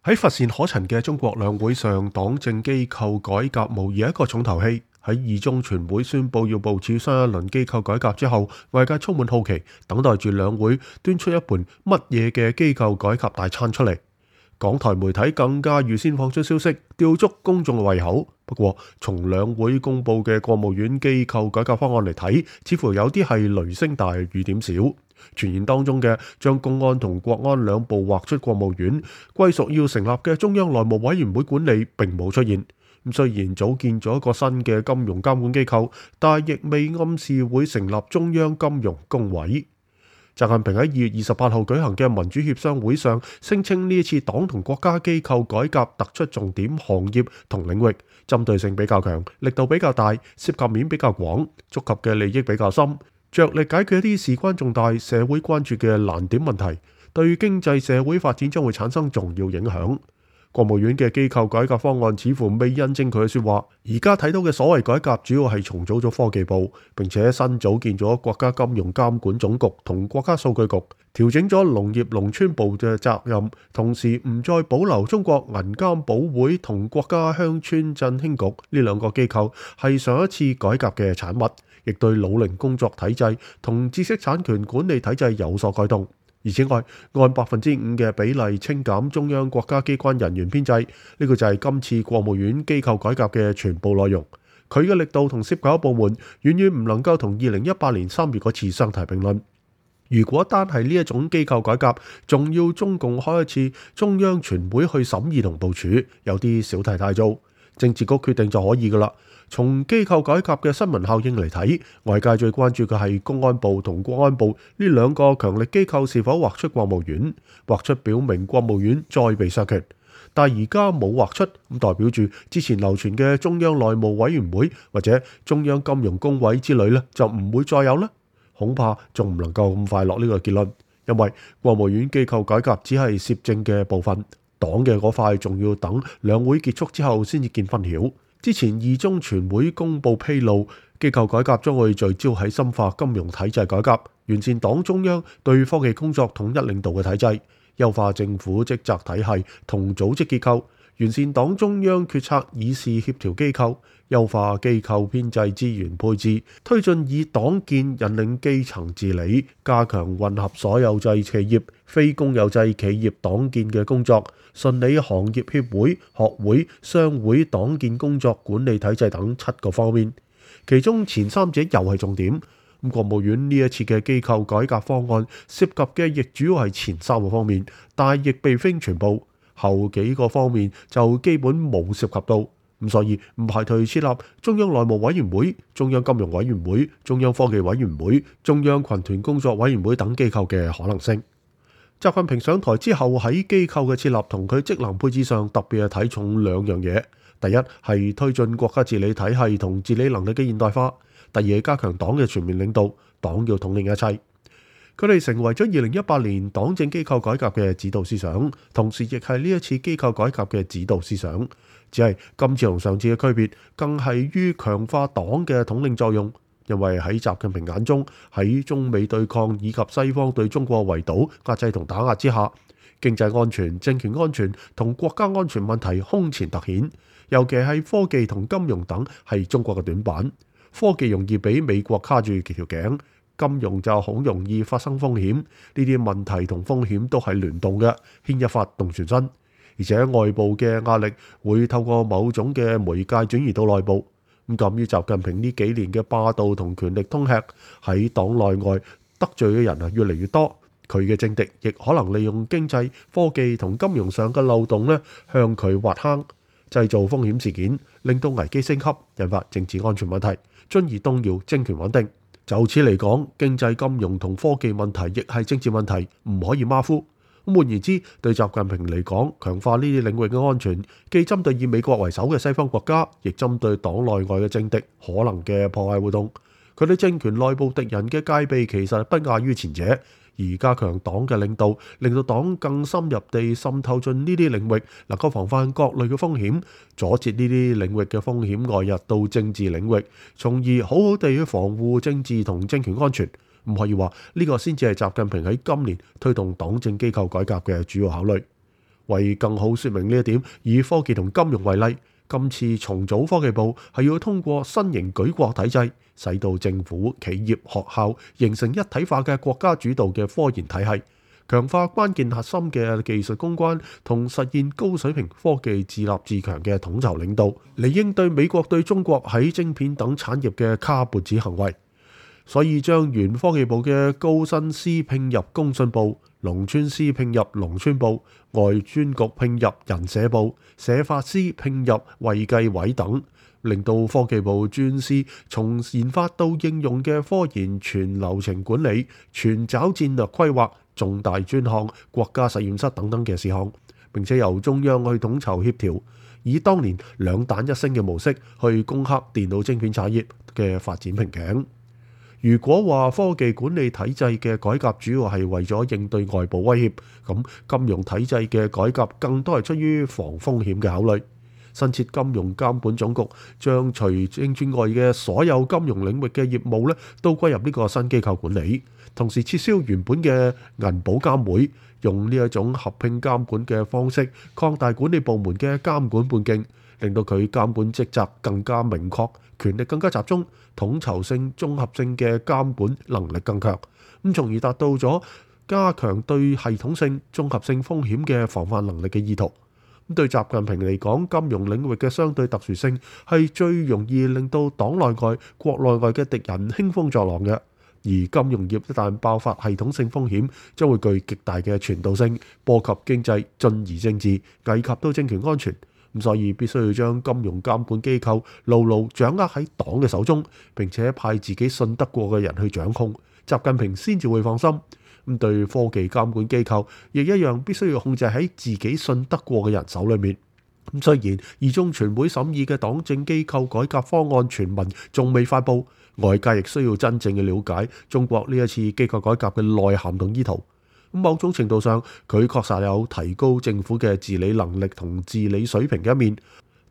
喺乏善可陳嘅中國兩會上，黨政機構改革無疑係一個重頭戲。喺二中全會宣佈要部署新一輪機構改革之後，外界充滿好奇，等待住兩會端出一盤乜嘢嘅機構改革大餐出嚟。港台媒體更加預先放出消息，吊足公眾嘅胃口。不過，從兩會公佈嘅國務院機構改革方案嚟睇，似乎有啲係雷聲大雨點小。傳言當中嘅將公安同國安兩部劃出國務院，歸屬要成立嘅中央內務委員會管理並冇出現。雖然組建咗一個新嘅金融監管機構，但亦未暗示會成立中央金融工委。習近平喺2月28號舉行嘅民主協商會上，聲稱呢一次黨同國家機構改革突出重點行業同領域，針對性比較強，力度比較大，涉及面比較廣，觸及嘅利益比較深，着力解決一啲事關重大、社會關注嘅難點問題，對經濟社會發展將會產生重要影響。國務院嘅機構改革方案似乎未印證佢嘅說話。而家睇到嘅所謂改革，主要係重組咗科技部，並且新組建咗國家金融監管總局同國家數據局，調整咗農業農村部嘅責任，同時唔再保留中國銀監保會同國家鄉村振興局呢兩個機構，係上一次改革嘅產物，亦對老齡工作體制同知識產權管理體制有所改動。而此外，按5%嘅比例清減中央國家機關人員編制，呢個就係今次國務院機構改革嘅全部內容。佢嘅力度同涉及嘅部門遠遠唔能夠同2018年3月嗰次相提並論。如果單係呢一種機構改革，仲要中共開一次中央全會去審議同部署，有啲小題大做。政治局決定就可以㗎啦。從機構改革嘅新聞效應嚟睇，外界最關注嘅係公安部同國安部呢兩個強力機構是否劃出國務院，劃出表明國務院再被削權。但而家冇劃出，咁代表住之前流傳嘅中央內務委員會或者中央金融工委之類呢，就唔會再有啦。恐怕仲唔能夠咁快落呢個結論，因為國務院機構改革只係攝政嘅部分，黨嘅嗰塊仲要等兩會結束之後先至見分曉。之前二中全會公佈披露，機構改革將會聚焦喺深化金融體制改革，完善黨中央對科技工作統一領導嘅體制，優化政府職責體系同組織結構，完善黨中央決策議事協調機構，優化機構編制資源配置，推進以黨建引領基層治理，加強混合所有制企業、非公有制企業黨建嘅工作，順理行業協會、學會、商會黨建工作管理體制等7個方面，其中前3者又係重點。國務院呢一次嘅機構改革方案涉及嘅亦主要係前3個方面，但亦並非全部，後幾個方面就基本冇涉及到。所以唔排除設立中央內務委員會、中央金融委員會、中央科技委員會、中央群團工作委員會等機構嘅可能性。習近平上台之後喺機構嘅設立同佢職能配置上特別係睇重2樣嘢。第一係推進國家治理體系同治理能力嘅現代化，第二係加強黨嘅全面領導，黨要統領一切。佢哋成為咗2018年黨政機構改革嘅指導思想，同時亦係呢一次機構改革嘅指導思想。只係今次同上次嘅區別，更係於強化黨嘅統領作用。因為喺習近平眼中，喺中美對抗以及西方對中國圍堵、壓制同打壓之下，經濟安全、政權安全同國家安全問題空前突顯，尤其係科技同金融等係中國嘅短板。科技容易俾美國卡住幾條頸，金融就好容易發生風險。呢啲問題同風險都係聯動嘅，牽一發動全身。而且外部嘅壓力會透過某種嘅媒介轉移到內部。鑑於習近平呢幾年嘅霸道同權力通吃，喺黨內外得罪嘅人越嚟越多，佢嘅政敵亦可能利用經濟、科技同金融上嘅漏洞向佢挖坑，製造風險事件，令到危機升級，引發政治安全問題，進而動搖政權穩定。就此嚟講，經濟、金融同科技問題亦係政治問題，唔可以馬虎。換言之，對習近平嚟講，強化呢啲領域嘅安全，既針對以美國為首嘅西方國家，亦針對黨內外嘅政敵可能嘅破壞活動。佢對政權內部敵人嘅戒備其實不亞於前者，而加強黨嘅領導，令到黨更深入地滲透進呢啲領域，能夠防範各類嘅風險，阻截呢啲領域嘅風險外溢到政治領域，從而好好地去防護政治同政權安全。唔可以話呢個先至係習近平喺今年推動黨政機構改革嘅主要考慮。為更好說明呢一點，以科技同金融為例，今次重組科技部係要通過新型舉國體制，使到政府、企業、學校形成一體化嘅國家主導嘅科研體系，強化關鍵核心嘅技術攻關同實現高水平科技自立自強嘅統籌領導，嚟應對美國對中國喺晶片等產業嘅卡脖子行為。所以將原科技部嘅高薪司拼入工信部，農村司拼入農村部，外專局拼入人社部，社法司拼入衛計委等，令到科技部專司從研發到應用嘅科研全流程管理、全找戰略規劃、重大專項、國家實驗室等等嘅事項，並且由中央去統籌協調，以當年兩彈一星嘅模式去攻克電腦晶片產業嘅發展瓶頸。如果話科技管理體制嘅改革主要係為咗應對外部威脅，咁金融體制嘅改革更多係出於防風險嘅考慮。新設金融監管總局將除證券外嘅所有金融領域嘅業務咧，都歸入呢個新機構管理，同時撤銷原本嘅銀保監會，用呢一種合併監管嘅方式擴大管理部門嘅監管半徑，令到佢監管職責更加明確，權力更加集中，統籌性、綜合性嘅監管能力更強，咁從而達到咗加強對系統性、綜合性風險嘅防範能力嘅意圖。咁對習近平嚟講，金融領域嘅相對特殊性係最容易令到黨內外、國內外嘅敵人興風作浪嘅。而金融業一旦爆發系統性風險，將會具極大嘅傳導性，波及經濟，進而政治，危及到政權安全。咁所以必須要將金融監管機構牢牢掌握喺黨嘅手中，並且派自己信得過嘅人去掌控，習近平先至會放心。咁對科技監管機構亦一樣，必須要控制喺自己信得過嘅人手裏面。咁雖然二中全會審議嘅黨政機構改革方案全文仲未發布，外界亦需要真正嘅了解中國呢一次機構改革嘅內涵同意圖。咁某種程度上，佢確實有提高政府嘅治理能力同治理水平嘅一面，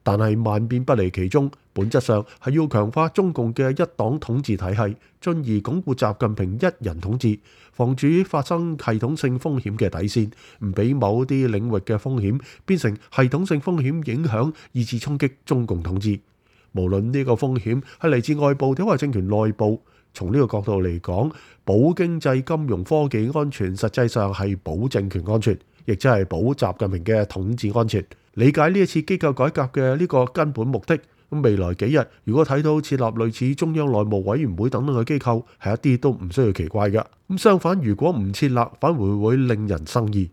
但係萬變不離其宗，本質上係要強化中共嘅一黨統治體系，進而鞏固習近平一人統治，防止發生系統性風險嘅底線，唔俾某啲領域嘅風險變成系統性風險影響，以致衝擊中共統治。無論呢個風險係嚟自外部定係政權內部，從呢個角度嚟講，保經濟、金融、科技安全，實際上係保政權安全，亦即係保習近平嘅統治安全。理解呢一次機構改革嘅呢個根本目的，咁未來幾日如果睇到設立類似中央內務委員會等等嘅機構，係一啲都唔需要奇怪嘅。咁相反，如果唔設立，反而會令人生疑。